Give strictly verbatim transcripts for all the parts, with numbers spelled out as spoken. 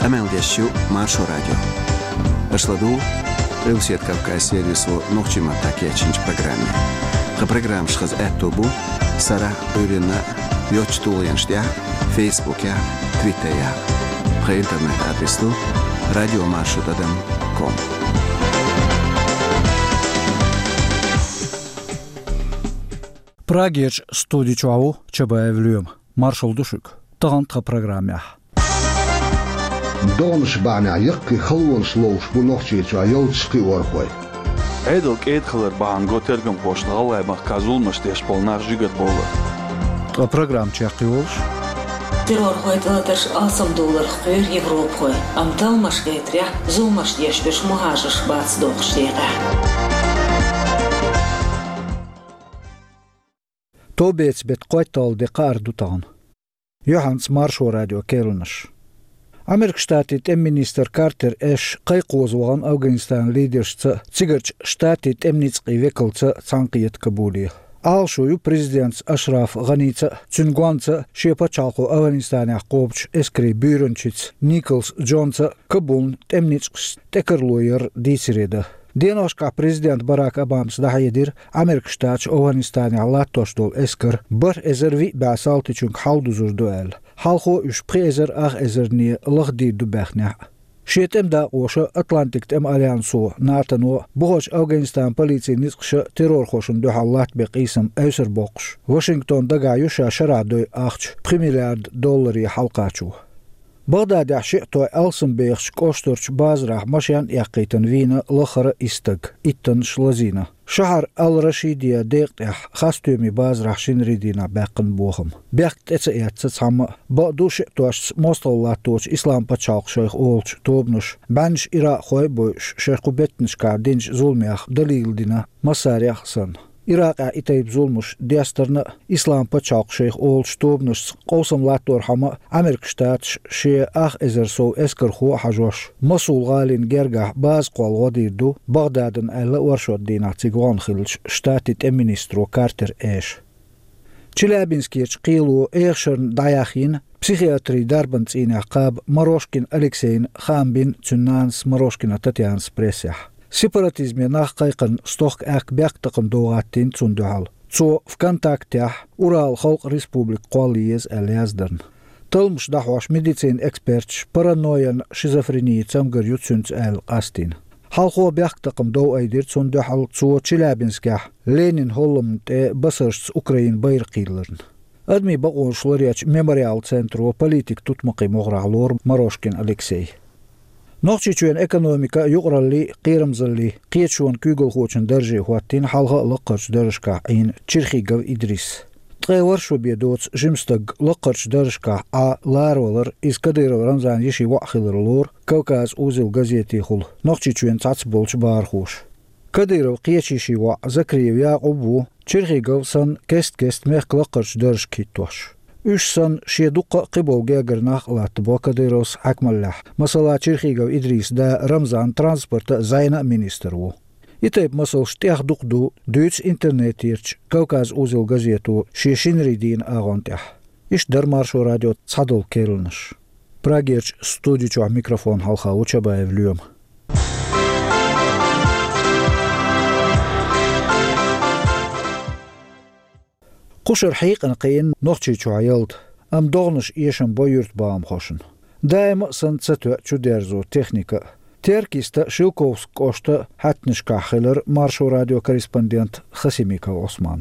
Къамел деш ю Маршо радио. Аша ладугӀу Къилбаседа Кавказ сервисо нохчийн маттахь кечйинчу программе. Тхан программаш хаза аьтто бу сарахь а, Ӏуьйранна а йоцчу тулгӀенаш тӀехь а, Фейсбукехь а, Твиттерехь а. Тхан интернет-адрес ду радиомаршо тӀадам ком. Прагерчу студи чохь ву Чабаев Лоьма. Маршалла ду шуьга. Тахана тхан программехь. ДогӀанаш бахьанехь яккхий халонаш ловш бу Нохчийчохь ялташ кхиорхой. Ӏедал кӀеда хилар бахьана го тергамхошна ГӀалгӀай махкахь зуламаш деш болу нах жигара бовлар. Ткъа программа чекхйолуш: террорхойн тӀелатарш алсамдовларх кхоьру европахой, амма талламаш гайтарехь, зуламаш деш берш мухӀажарш бац дохучу декъехь. Товбецан беттан кхойтталгӀа де кхаара ду тахана. Юьхьанца Маршо радион керланаш. Американ Штатийн тӀеман министр Картер Эш кхайкхаза вахана Афганистанан лидершца а, цигарчу Штатийн тӀеман ницкъийн векалца а цхьаьнакхета Кабуле. Ӏалашо ю президентца Ашраф ГӀаница а, цуьнан гонца а, шен пачхьалкхо Афганистанехь кхобучу эскарийн буьйранчица Николс Джонца а Кабулна тӀеман ницкъашца тӀекарло яр дийцаре дан. Деношкахь президент Барак Обамас дӀахьедира, Американ Штаташ Афганистанехь латтош долу эскар бархӀ эзар виъ бӀе салтичуьнга хьалдузур ду аьлла. Хьалхо уьш пхи эзар ах эзарне лахдийр ду баьхнехь а. Шен тӀеман дакъоша, Атлантикан тӀеман альянсо, НАТОно, бухарчу Афганистанан полицин ницкъаша террорхошна дуьхьал латтабен къийсам эвсар боккхуш, Вашингтон дагахь ю ша шарахь дойу ахча пхи миллиард долларе хьалакхачо. Багъдадехь шиъ той алсамбехачу кӀоштарчу базарахь машен а эккхийтина вийна лаххара а исс стаг, иттаннаш лазийна. Шахьар Ал-Рашидия декъа тӀехь хасстоьмийн базарахь шинарин дийнахь баьккхина бохам. Бехк тӀе ца эцна цхьамма а, бакъду шиъ тошца мостагӀалла латточу Ислам-пачхьалкх шайх олучу тобанаша, бӀеннаш иракъхой а бойуш, шайн кху беттанашкахь динчу зуламех далийла дина массарех а санна. Иракъехь и тайпа зуламаш дестарна а, Ислам-пачхьалкх шайх олучу тобанашца къовсам латторхьама а, Американ Штаташ шен ах эзар сов эскархо а хьажош, Мосул-гӀалин гергахь база кхолла гӀо дийр ду Багъдадана аьлла оршот дийнахь цига вахана хиллачу Штатийн тӀеман министро Картер Эша. Челябинскерчу кхело эхашарна дӀаяхйина психиатрин дарбан цӀийнехь кхаба Морошкин Алексейна хаам бина цуьнан нанас Морошкина Татьянас прессехь. Сепаратизме нах кхайкхарна стохка аьхка бехктакхамдо гӀаттийна цунна дуьхьал. Цо ВКонтактехь Урал халкъ республика кхолла еза аьлла яздарна. Талламаш дӀахьош медицинан эксперташа паранойян шизофренин цамгар ю цуьнца аьлла къастийна. Хьалхо бехктакхамдов айдира цунна дуьхьал цо Челябинскехь Ленинан хӀолламна тӀе басаршца Украинан байракх йилларна. Адамийн бакъонаш ларъечу Мемориал центро политикан тутмакхийн могӀарехь лору Морошкин Алексей. Нохчийчоьнан экономика юкъараллин а, кхерамзаллин а кхеташонан куьйгалхочун дарже хӀоттийна хьалха а лаккхарчу даржашкахь Ӏийна Черхигов Идрис. Ткъе ворхӀ шо бен доцу жима стаг лаккхарчу даржашкахь Ӏа ларавалар иза Кадыров Рамзанан йишин воӀ хилар лору «Кавказ-Узел» газетехула Нохчийчоьнан цхьацца болчу бахархоша. Кадыровн кхечу йишин воӀ Закриев Якъуб ву Черхигов санна кест-кеста мехкан лаккхарчу даржашка хӀиттош. Уьш санна, шен дуккха а кхиболу гергара нах а латтабо Кадыровс хьаькамаллехь. Масала, Черхигов Идрисан да Рамзан транспортан а, зӀенан а министр ву. И тайпа масалш тӀех дукха ду, дуьйцу интернетерчу «Кавказ-Узел» газето шен шинарин дийнан агӀон тӀехь. Иштта дара Маршо радион цхьадолу керланаш. Прагерчу студи чохь микрофон хьалха ву Чабаев Лоьма. Кхушара хьийкъана кхиъна Нохчийчохь ялта, амма догӀанаш эшам бо юьртабахамхошна. Даима а санна ца тоьа чудерзо техника а. Теркйиста Шелковски кӀоштан хьаьттанашкахь хилира Маршо радион корреспондент Хасимиков Ӏусман.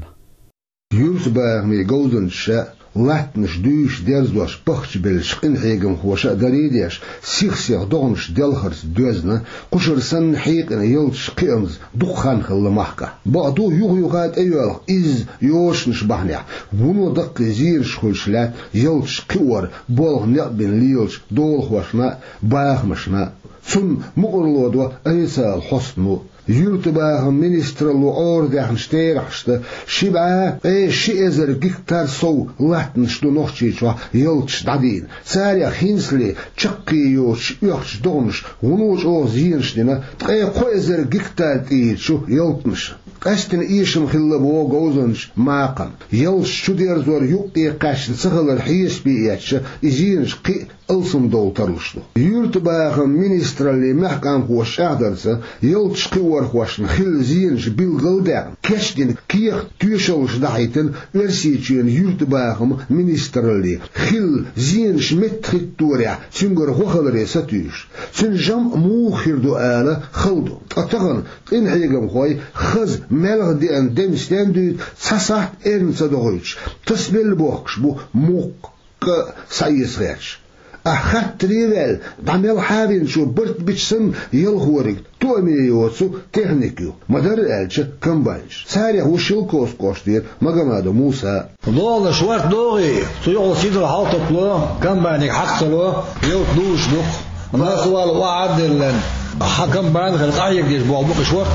Юьртабахамийн говзанчаша а, латтанаш дуьйш-дерзош пахчабеллачу къинхьегамхоша а дарий а деш, сих-сиха догӀанаш делхарца доьзна, кхушара санна хьийкъина ялташ кхиамза дукха хан хилла махкахь. Бакъду, юха-юха тӀейоьлху изза йозанаш бахьанехь, вуно даккхий зенаш хуьлуш лаьтта ялташ кхиор болх некъ бина лелачу долахошна а, бахамашна а. Цунна мукъарло до официалан хьостано. Юьртабахаман министралло Ӏорадаьхначу терахьашца, ши бӀе ткъе ши эзар гектар сов латтанаш ду Нохчийчохь ялташ дӀадийна. Царех хӀинцале чаккхе йоцуш оьхучу догӀанаша вуно чӀогӀа зенаш дина ткъе кхо эзар гектар тӀера чу ялтанаш. Къаьсттина эшам хилла боху говзанчу Макхана. Ялташ чудерзор юкъ тӀе кхаьчна ца хилар хьесапе эцча, и зенаш кхин а алсамдовла тарлуш ду. Юьртабахаман министраллин мехкамхоша чӀагӀдарца, ялташ кхиорхошна хилла зенаш билгалдаьккхина, кечдина кехат-тоьшаллаш дӀахьийтина Оьрсийчоьнан юьртабахаман министралле, хилла зенаш меттахӀитторехь цуьнгара гӀо хиларе сатуьйсуш. Цуьнан жамӀ муха хир ду ала хала ду. Ткъа тахана къинхьегамхой хаза маьлха деана дем стен дуьйцу цхьа сахьт эрна ца дохуьйтуш, тасабелла бохкуш бу мукх кӀа схьаэца гӀерташ. Ахь хаттаре а ваьлла, дӀа мел хьавинчо барт бича санна, ялхориг тоаме йоцу техника ю, ма-дарра аьлча, комбайнаш. Царех ву Шелковски кӀоштера Магомадов Муса. Лолаш варт догӀий, цу юкъал сидал хьалтопло, комбайниг хьакхало, ялта луш дукха. Масвал охьа а деллан, хьан комбайн хила къахьегдеш болу букъаш вара.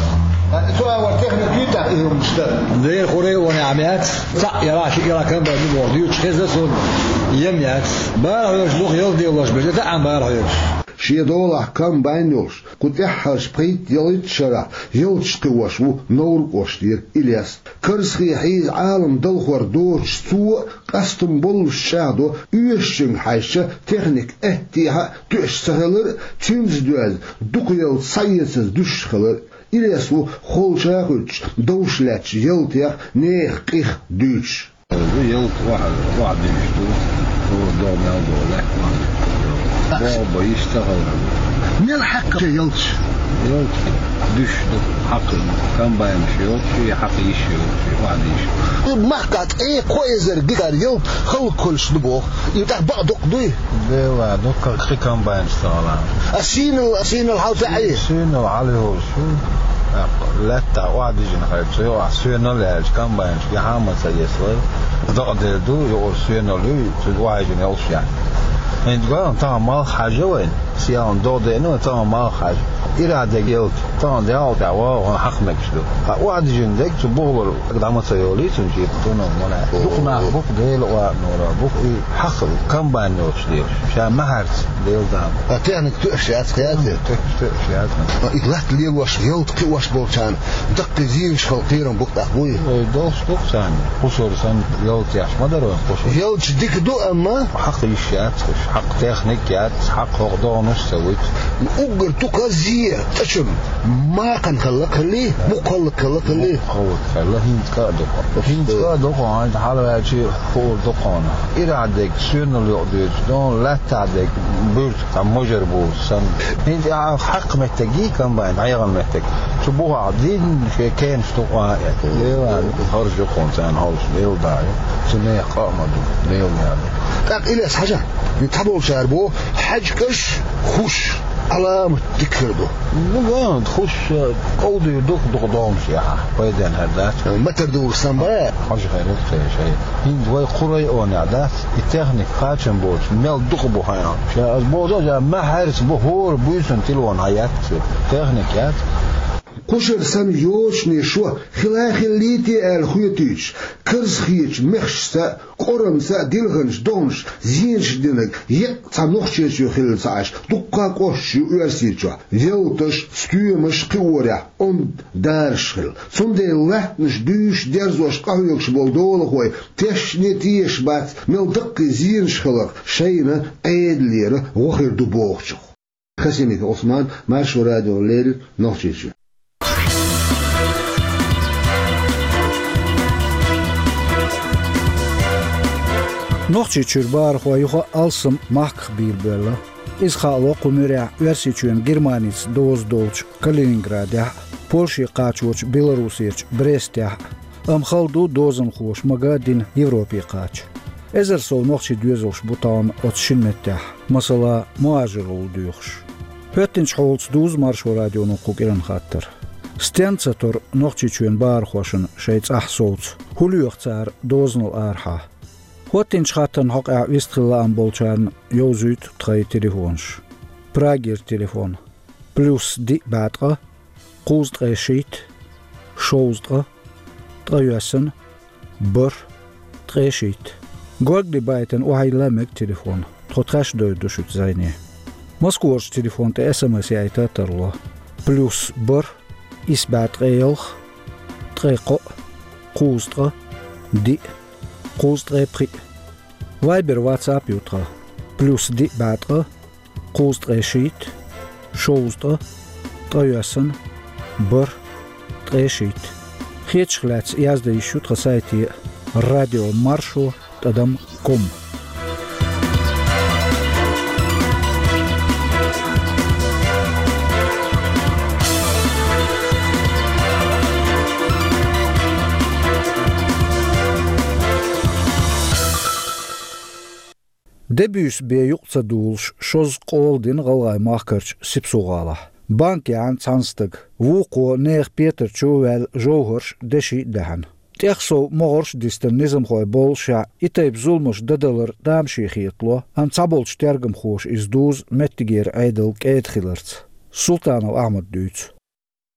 Цу агӀор техника юьйтахь и хӀуманаш дара. Дера хурай оне Ӏамац, цхьаъ яра, шиъ яра комбайн ду боху дуьйцуш хеза суна, ем яц. Бара хьоьжуш дукха ялта делош бежа, таӀам бара хьоьжуш. Шен долахь комбайн йолуш, кху тӀаьххьарчу пхийтта-ялхитта шарахь ялташ кхиош ву Новр кӀоштера Илес. Карзахе хьийза Ӏалам далхор доцуш цо а, къастам боллуш чӀагӀдо, оьшучуьнга хьаьжча, техника аьттехьа а тоьаш ца хилар а, цуьнца доьзна дукха ялта схьаэцаза дуьсуш хилар а. Илес ву холча а хуьттуш, довш лаьттачу ялтех, нехан къих дуьйцуш. Ялта охьа, охьа дуьйцуш ду, хӀора догӀу мел догӀу лаьтта охьа. БогӀу бан йиш ца хилар. Мел хьаькхна ялташ? Ялта дуьсуш ду, хьакха комбайнаш йоцуш, и хьакха йиш йоцуш, и охьа дийш. Махкахь ткъе кхо эзар гектар ялта хӀаллакьхуьлуш ду боху. И тӀаккха бакъ дукха дуй? Дела, дукха, кхин комбайнаш ца хилахь. А сийнал, а сийнал хьал фаьӀий? Сийнал хьал йолуш ю. ТӀаккха лаьттахь охьа дижина хилча, юкъахь соьнал яьлча, комбайнаш гихьа а ма ца эцалара. Дакъа дер ду, юкъара соьнал ю, цуьнан охьа йижина йолуш яц. ХӀинца гой, тахана малх хьажа вайна. Сиалан догӀу деана, тахана малх хьажа. Ирахь дерг ялта, тахана дегӀал тӀехь вагӀа хьакха мегаш ду. Ткъа охьа дижина дерг цу бухалара дӀа ма ца йолий цунна чӀепа, цунах ма лаьа. Дукха нах бу-кх, Дела оьрнора бу-кх, и хьакха комбайн йоцуш лелаш. Ша маьхьарца, Дела дама. Ткъа техника тоьаш яц, кхиатте? Тоьаш, тоьаш яц. Ткъа и латта лелош, ялта кхиош болчарна даккхий зенаш хила кхерам бу-кх тӀаккха, буй? Ой, долуш ду-кх царна. Кхушара санна ялта еш ма дара вайн кхушара. Ялташ дика ду, амма хьакха йиш яц уьш, хьакха техника яц, хьакха хӀокху догӀанаш а ца вуьту. Уггар тукхазза, тӀачун макхан хилла хилли, мукх хилла хилла хилли. Мукх хилла хилла, хӀинца кӀа а ду-кх. ХӀинца кӀа а ду-кх, хьайна хьалаваьлчи хуур ду-кх хьуна. Ирахь дерг соьнал юкъа дуьйцу, дона лаьттахь дерг буьртиг цхьа можар буьйцу санна. ХӀинца ахьа хьакха меттиг йий комбайн, дӀаехана меттиг. Цу бухахь дийна шен кенаш тукъа а эцна. Дела, харжа ю-кх хьуна царна хьовсуш, Дела даа ю. Цу нехан къа а ма ду, Дела даа ду. ТӀаккха Илес хьажа, и цхьаболчара боху, хьаьжкӀаш, хӀуш, Ӏаламат дика хир ду. Ну, ван, хӀуш, э, къовдийр ду-кх дукха догӀанаш яхьа, пайденна хӀара дац. Матар духуш санна бан? Хьажа хир ду-кх шай. ХӀинца вай кху районехь дац, и техника кхачам боцуш, мел дукха бу хьайна. Ша аса боху, ша маьхьарца бу, хӀора буьйсанна телефон хьан яц, техника яц. Кхушара санна йочане шо хила а хиллий те аьлла хоьтуьйтуш, карзахечу мехашца а, кӀоранца а дилханчу догӀанаш зенаш динарг еккъа цхьа Нохчийчоь хилла ца Ӏаш, дуккха а кӀошташ ю Оьрсийчохь. Ялташ, стоьмаш кхиорехь онда дараш хилла. Цундела латтанаш дуьйш, дерзош къахьоьгуш болу долахой тешне тешаш бац, мел даккхий зенаш хиларх шайна Ӏедалера гӀо хир ду бохучух. Хасимиков Ӏусман, Маршо радиона леррина, Нохчийчоь. Нохчийчуьра бахархой юха а алсам махках бийр боьлла. Иза хаало кху муьрехь Оьрсийчоьнан Германица доза долчу Калининградехь а, Польше кхачочу Белоруссерчу Брестехь а. Амма хала ду дозанхоша мага а дина Европе кхача. Эзар сов нохчий доьзалш бу тахана оцу шина меттехь, масала, мухӀажарло доьхуш. ХӀоьттинчу хьолаца дузу Маршо радионо кху кӀиранан хаттар. Стенна ца тора Нохчийчоьнан бахархошна шайн цӀахь совца? ХӀун лоьху цара дозанал арахьа? ХӀоьттинчу хаттарна хьокъехь вистхила лаам болчарна йовзуьйту тхайн телефонаш. Прагера телефон: плюс диъ бӀе ткъа, кхузткъе шийтта, шовзткъа, ткъайоьсна, бархӀ, ткъе шийтта. Горгали байтина охьайилла мега телефон. Тхо тхаьш довр ду шуьца зӀене. Москварчу телефон тӀе СМС яйта а тарло. Плюс бархӀ, исс бӀе ткъе ялх, ткъе кхоъ, кхузткъа, диъ, кхузткъе пхиъ. Вайбер, ватсап ю тхан. плюс диъ бӀаь ткъа, кхузткъе шийтта, шовзткъа, ткъайоьсна, бархӀ, ткъе шийтта. Хетаршка лаьцна яздан йиш ю тхан сайте радио маршо тӀадам ком. Де буьйса бен юкъ ца дуллуш, шозза къола дина ГӀалгӀай махкарчу Сипсо-ГӀалахь. Банка яьхьна цхьана стага. Вукхо нехан петар чу ваьлла жовхӀарш, деши а даьхьна. ТӀехсов могӀарш а дистина низамхой боллушехь, и тайпа зуламаш дан далар тамашийна хетало, амма цхьаболчу тергамхоша иза дузу меттигера Ӏедал кӀеда хиларца. Султанов Ахьмада дуьйцу.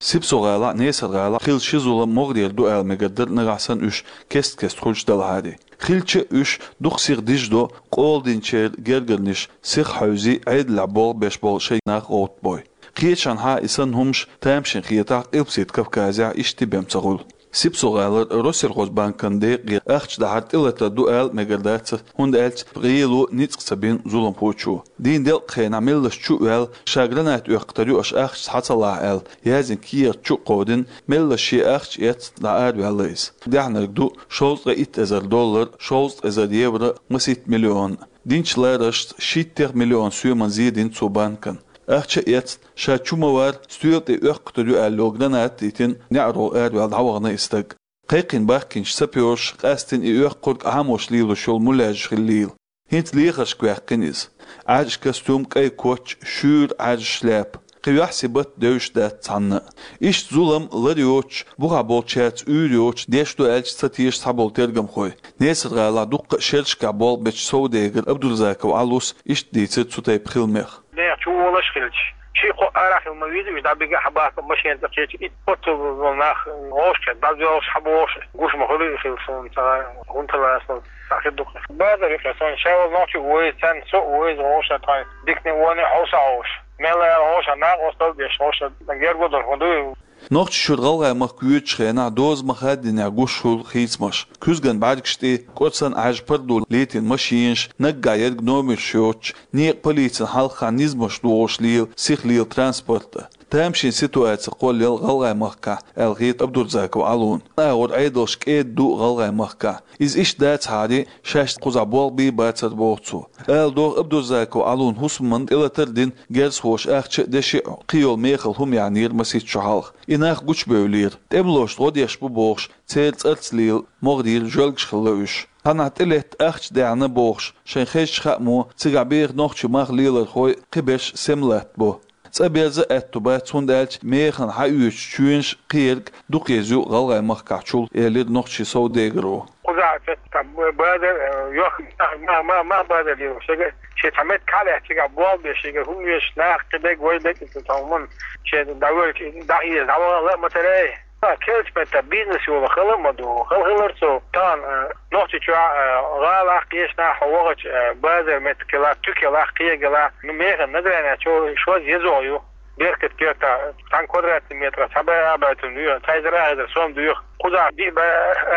Сипсо-ГӀалахь а, Несар-ГӀалахь а хилла ши зулам могӀарера ду аьлла мегар дара, нагахь санна уьш кест-кеста хуьлуш делахьарий. Хилча а уьш дукха сиха дижадо къола динчеран гергарнаш сиха хьевзий, Ӏедалехь болх беш болу шайн нах гӀовттабой. Кхечанхьа и санна хӀумаш тамашийна хетахь, Къилбаседа Кавказехь иштта бен ца хуьлу. Сипсо-ГӀалара Россельхозбанкан декъе ахча дахьар тӀелатар ду ала мегар дац, хӀунда аьлча гӀело ницкъ ца бина зуламхочо. Дийнан делкъа хенахь меллаша чу а ваьлла, ша граната оьккхур ю, аша ахча схьа ца лахь аьлла, яздина кехат чу а кховдийна, меллаша шен ахча эцна дӀаараваьлла иза. Даьхьнарг ду шовзткъе итт эзар доллар, шовзткъе эзар евро, масийтта миллион. Динчу ларашца шийттех миллион соьман зен дина цо банкана. Ахча а эцна, ша чу ма вара, стоьла тӀе оьккхур ю аьлла йолу граната а йитина, неӀаро араваьлла дӀавахана и стаг. Кхайкхина бахкийначу сапёраша къаьстина и оьккхург Ӏамош лелош йолу муьлхача хиллийла. ХӀинца лехаршка ваьккхина иза. Ӏаьржа костюм, кӀайн коч, шуьйра Ӏаьржа шляпа. Кхин юьхьсибат девзаш дац цхьанна а. Иштта зулам лар йоцуш, бухахь болчаьрца уьйр йоцуш деш ду аьлча ца теша цхьаболу тергамхой. Несар-ГӀалахь дуккха а шерашкахь болх бечу совдегара Абдурзаков Ӏалас иштта дийцира цу тайпа хиламех. Нехан чу волуш хилча, ши-кхо арахь хила ма веза, уьш дӀабига а, хьан бахка машина тӀе кхеча, и оццул нах вовшахкхетта, дӀадоьлхуш хьан бохуш, гуш ма хуьлу и хила суна ца гӀай, хӀунда хила аса, цхьа хир ду-кх. Базар юкъа сан ша волу нохчи вовза, царна со а вовза, вовшах тхайн дикане а, воне а хьовса а вовш. Мел аьлла вовшах, накъосталла а деш, вовшах герга дара хӀун ду? Нохчийчуьра ГӀалгӀай махка воьдучу хенахь доза ма-хаддинехь гуш хуьлу хийцамаш. Куьзган бӀаьргаш тӀе кӀорсан Ӏаьржа пардо летийна машинаш, наггахь ерг номерш йоцуш, некъан полицин хьалхахь низамаш дохуш лела, сиха лела транспорт а. Тамашийна ситуаци кхоллаелла ГӀалгӀай махкахь, аьлла хета Абдурзаков Ӏалона. АгӀор Ӏедалш кӀеда ду ГӀалгӀай махкахь. Иза иштта дацахьара, шаьш кхузахь болх бий бацара боху цо. Ала догӀу, Абдурзаков Ӏалона хӀусаман тӀелатар а дина, герзахоша ахча а, деши а, кхин йолу мехала хӀума яьхьнера масийтта шо хьалха. И нах гучубевллера. ТӀемалошна гӀо деш бу бохуш, церан цӀарца лела могӀарера жоьлгаш хилла уьш. Цхьанхьа тӀелетта ахча даьхьна бохуш, шайн хезачу хаамаша, цигахь беха нохчийн мах лелорхой кхиберш сема латтабо. ЦӀа берза аьтту бац, хӀунда аьлча механа хьаоьцучу чоьнаш кхин ерг дукха еза ю ГӀалгӀай махкахьчул, элира нохчийн совдегаро. Кхузахь цхьа базар, э, йохк-, ма-, ма-, ма-, базар йолуш, шега, шен цхьа меттиг хьалаьцна, цигахь болх беш, шега хӀума веш нах кхидерг, вай дерг, цхьа хӀуманна шен дӀавоьлча, дӀахьежа, дӀавахана а ма ца лаьа. Ха, кхечу меттехь бизнес йолу хала а ма ду, хала хилар цо. Тахана, э, Нохчийчохь, э, гӀалахь, кхечанхьа хьо вахча, э, базар меттиг хилахь, туька хилахь, кхин ерг хилахь, ну, механа награна чо шозза еза ю. Беркат кертахь, цхьана квадратный метрах цхьа бӀе арбаьттан дуьйху, цхьа эзар арахь эзар сом дуьйху. Кхузахь диъ бӀе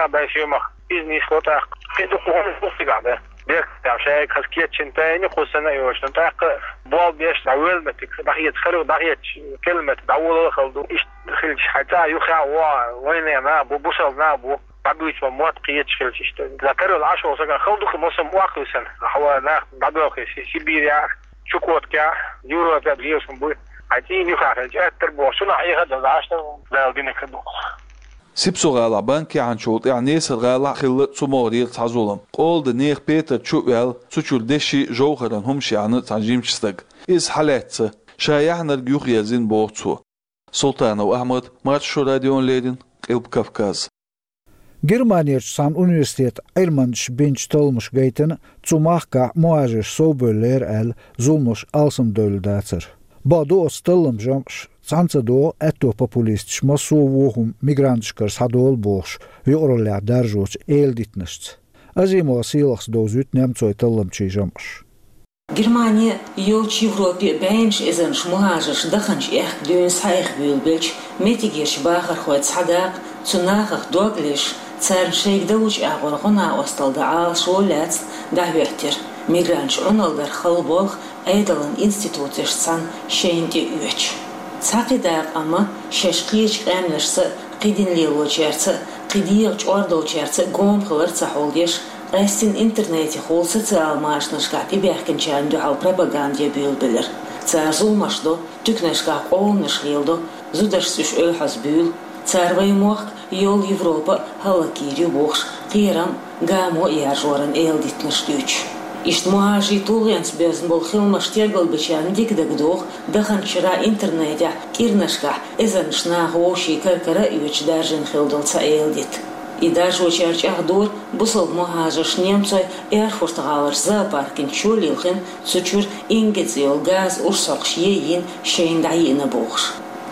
арбаьттан бӀе соьмах иза нисло тӀаккха. Кхин дукха хӀума ду цигахь дан. Беркат там шайга хаза кечйина тайна, кхуза санна а йоцуш, тӀаккха болх беш, дӀавоьлла меттиг дӀахеца, хала дӀахецча, кхелла меттиг дӀаволалла хала ду. Иштта хилча, хьайн цӀа юххехь а вогӀу, вайнех нах бу, бусалба нах бу, дӀабуьйцу ма мотт кхеташ хилча иштта. Закарал Ӏаш волу сагана хала ду-кх, массо а охьахуьйсана. Хьо нах дӀадоьлхуш, Сибирехь, Чукоткехь, Европехь лелаш хӀума буй. Хьайн цӀийнан юххехь хилча, аьттар боху, цунах Ӏеха а дан, Ӏаш дан, Дала динарг хир ду-кх. Сипсо-ГӀалахь банк яьхьначул тӀаьхьа Несар-ГӀалахь а хилла цу могӀарера цхьа зулам. Къола дан нехан петар чу а ваьлла, цу чуьра деши, жовхӀаран хӀумаш яьхьна цхьана жимачу стага. Иза хьалаьцна, ша яьхьнарг юхаерзийна боху цо. Султанов Ахьмад, Маршо радиона леррина, Къилба Кавказ. Германерчу цхьана университетан Ӏилманчаша бинчу талламаша гайтина, цу махкахь мухӀажарш совбевллера аьлла, зуламаш алсамдевлла дацара. Бакъду, оцу талламан жамӀаша цхьаьна ца догӀу, аьтто популисташа массо а вон хӀума мигранташкара схьадолу бохуш, юкъараллехь даржочу эладитанашца. Азимова Сийлахьас довзуьйту немцойн талламчийн жамӀаш. Германе а, йолчу Европе а бӀеннаш эзарнаш мухӀажарш даханчу аьхка дуьйна схьаэха буьйлабелча, меттигерчу бахархойн цхьа дакъа, цу нахах дог лезаш, царна шайга далучу агӀор гӀо-накъосталла дан Ӏалашо лаьцна дӀахӀоьттира. Мигранташ Ӏуналла дар хала болх Ӏедалан институташца цхьана шайна тӀе оьцуш. Цхьа кхидӀа къам шаьш кхечу къаьмнашца, кхин дин лелочаьрца, кхин дегӀан чӀор долчаьрца гома хилар ца хьулдеш, къаьстина интернетехула социал машанашкахь тӀебаьхкинчарна дуьхьал пропаганда ян буьйлабелира. Цара зуламаш до, туьканашкахь къоланаш леладо, зударшца уьш оьхьазбуьйлу, цара вайн мохк а, йолу Европа а хӀаллакйийр ю бохуш, кхерам а, гамо а яржоран эладитанаш дуьйцуш. Иштта мухӀажарийн тулгӀенца боьзна болу хиламаш тергалбечарна дика дагадогӀу даханчу шарахь интернетехь кӀиранашкахь эзарнаш наха вовшийн кара-кара а оьцуш даржийна хилла долу цхьа эладита. И даржочара чӀагӀдора, бусалба мухӀажарш немцойн Эрфурт-гӀаларчу зоопаркан чу лилхина, цу чуьра инга цӀе йолу газан урс хьокхуш йийна шайна дӀайиъна бохуш.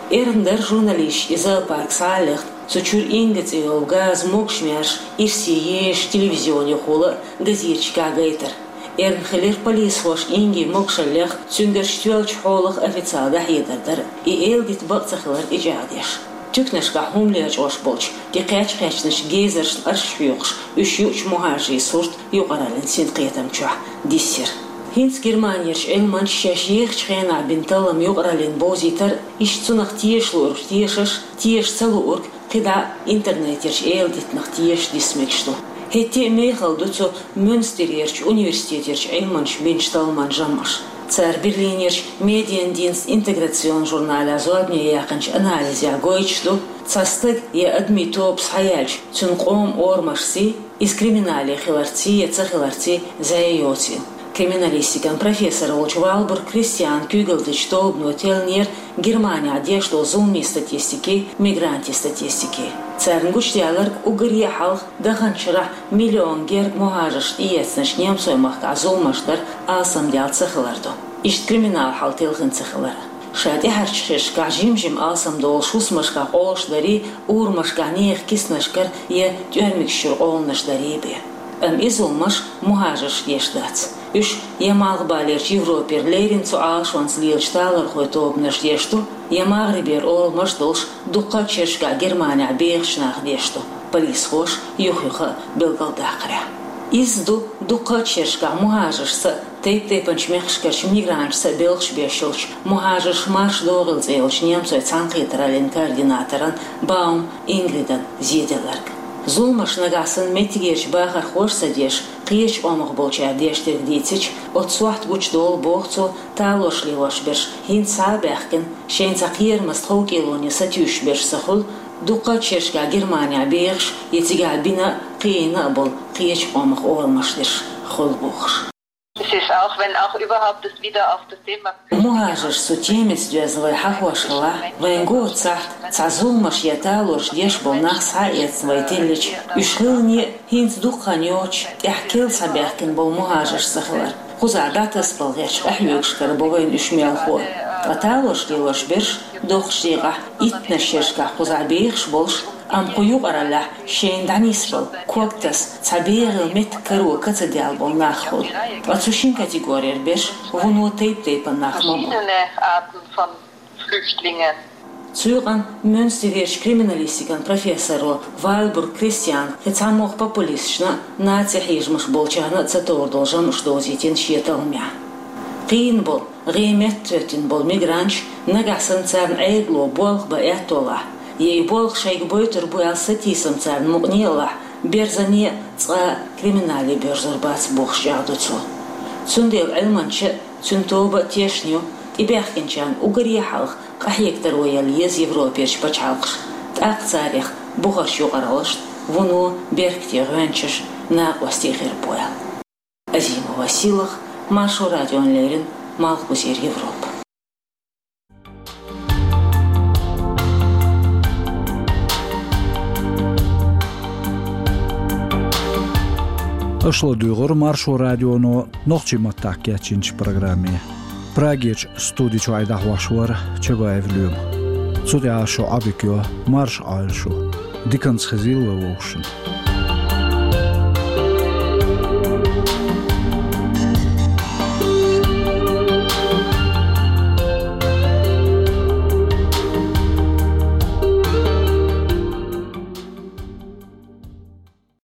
Эрна дара журналисташна и зоопарк схьа а лехна, цу чуьра инга цӀе йолу газан могуш-маьрша ирсе езаш телевизионехула а, газеташкахь гайтар. Эрна хилира полисхоша ингин могушалла лехна, цуьнгарчу тоьллачу хьолах официалан дӀахьедар дар, и эладита бакъ ца хилар тӀечӀагӀдеш. Туьканашкахь хӀума лечкъош болчу, тӀекхаьчна-кхаьчначу гезаршна арш хьоькхуш, уьш юучу мухӀажарийн сурт юкъараллин синкхетам чохь диссира. ХӀинца Германерчу Ӏилманчаша шаьш ехачу хенахь бина таллам юкъараллин бовзийтар, иштта цунах теша луург тешаш, теша ца луург кхидӀа интернетерчу эладитанах тешаш диса мегаш ду. ХӀетте а мехала ду цу Мюнстерерчу университетерчу Ӏилманчаша бинчу талламан жамӀаш. Цара Берлинерчу Mediendienst Integration журналехь зорбане яьккхинчу анализехь гойтуш ду, цхьа стаг я адамийн тоба схьаяьлча, цуьнан къоман орамашций, иза криминале хиларций я ца хиларций зӀе йоцийла. Криминалистикан профессор волчу Валбург Кристианан куьйгалла дечу тобано теллинера Германехь деш долу зуламийн статистикий, мигрантийн статистикий. Царна гучудаьлларг уггаре а хьалха даханчу шарахь миллион гергга мухӀажарш тӀеэцначу немцойн махкахь зуламаш дар алсамдаьлла ца хилар ду. Иштта криминал хьал телхина ца хилар. Ша тӀаьхьарчу шерашкахь жим-жима алсамдолуш хӀусамашкахь къолуш дарий, урамашкахь нехан киснашкара я тӀоьрмигаш чуьра къоланаш дарий бен. Амма и зуламаш мухӀажаршка деш дац. Уьш я Малхбалерчу Европера леррина цу Ӏалашонца лелачу талорхойн тобанаш деш ду, я МагӀрибера оламаш долуш дуккха а шерашкахь Германехь бехачу наха деш ду, полисхоша юх-юха а билгалдаккхарехь. Изза ду дуккха а шерашкахь мухӀажаршца а, тайп-тайпанчу мехкашкарчу мигранташца а белхаш беш йолчу мухӀажарш марша догӀийла цӀе йолчу немцойн цхьаьнакхетараллин координаторан Баум Ингридан зеделларг. Зуламаш нагахь санна меттигерчу бахархоша ца деш, кхечу къомах болчара деш дерг дийцича, оцу сохьта гучудолу, боху цо, талорш лелош берш хӀинца схьа а баьхкина, шайна цхьа кхерамаза тховкӀелоне сатуьйсуш берш ца хуьлу, дуккха а шерашкахь Германехь бехаш я цигахь бина а, кхиийна а болу кхечу къомах орамаш дерш хуьлу бохуш. Es ist, auch wenn auch überhaupt das wieder auf das Thema Flüchtlinge МухӀажарш цу темица доьзна вай хьахош хилахь, вайна го цахьт цхьа зуламаш я талорш деш болу нах схьа а эцна вай теллича, уьш хилане а хӀинца дукха хан йоцуш, тӀаьхьа керла схьабаьхкина болу мухӀажарш ца хилар. Кхузахь дӀатасабала гӀертачу къахьоьгушкара бо вайна уьш мелхо а. Ткъа талорш лелош берш доккхачу декъехь иттаннаш шерашкахь кхузахь бехаш болуш, амма кху юкъараллехь шайна дӀанисбала, ког таса, цхьа бегӀийла меттиг каро ка ца даьлла болу нах хуьлу. Ткъа цу шина категорера берш вуно тайп-тайпана нах ма бу. Verschiedene Arten von Flüchtlingen. Цу юкъана Мюнстерерчу криминалистикан профессоро Вальбург Кристиана кхин цхьамогӀа популисташна а, наци хьежамаш болчарна а ца товр долу жамӀаш довзийтина шен талламехь. Кхиийна болу, гӀеметтахӀоьттина болу мигранташ нагахь санна царна Ӏедало болх бан аьтто лахь, я и болх шайга бойтур бу аьлла сатийсам царна мукъане а лахь, берзане а, цкъа а криминале боьрзур бац бохуш чӀагӀдо цо. Цундела Ӏилманча а, цуьнан тоба а тешна ю, тӀебаьхкинчарна уггаре а хьалха къахьега таро яла еза Европерчу пачхьалкхаша, тӀаккха царех бухарчу юкъараллашна вуно беркате гӀоьнчаш, накъостий хир бу аьлла. Азимова Силах, Маршо радиона леррина, Малхбузера Европа. Аша ладуьйгӀура Маршо радионо нохчийн маттахь кечйинчу программе. Прагерчу студи чуьра дӀахьош вара Чабаев Лоьма. Цу тӀехь шун Ӏодика йо, марша Ӏойла шу. Диканца хезийла вай вовшашна.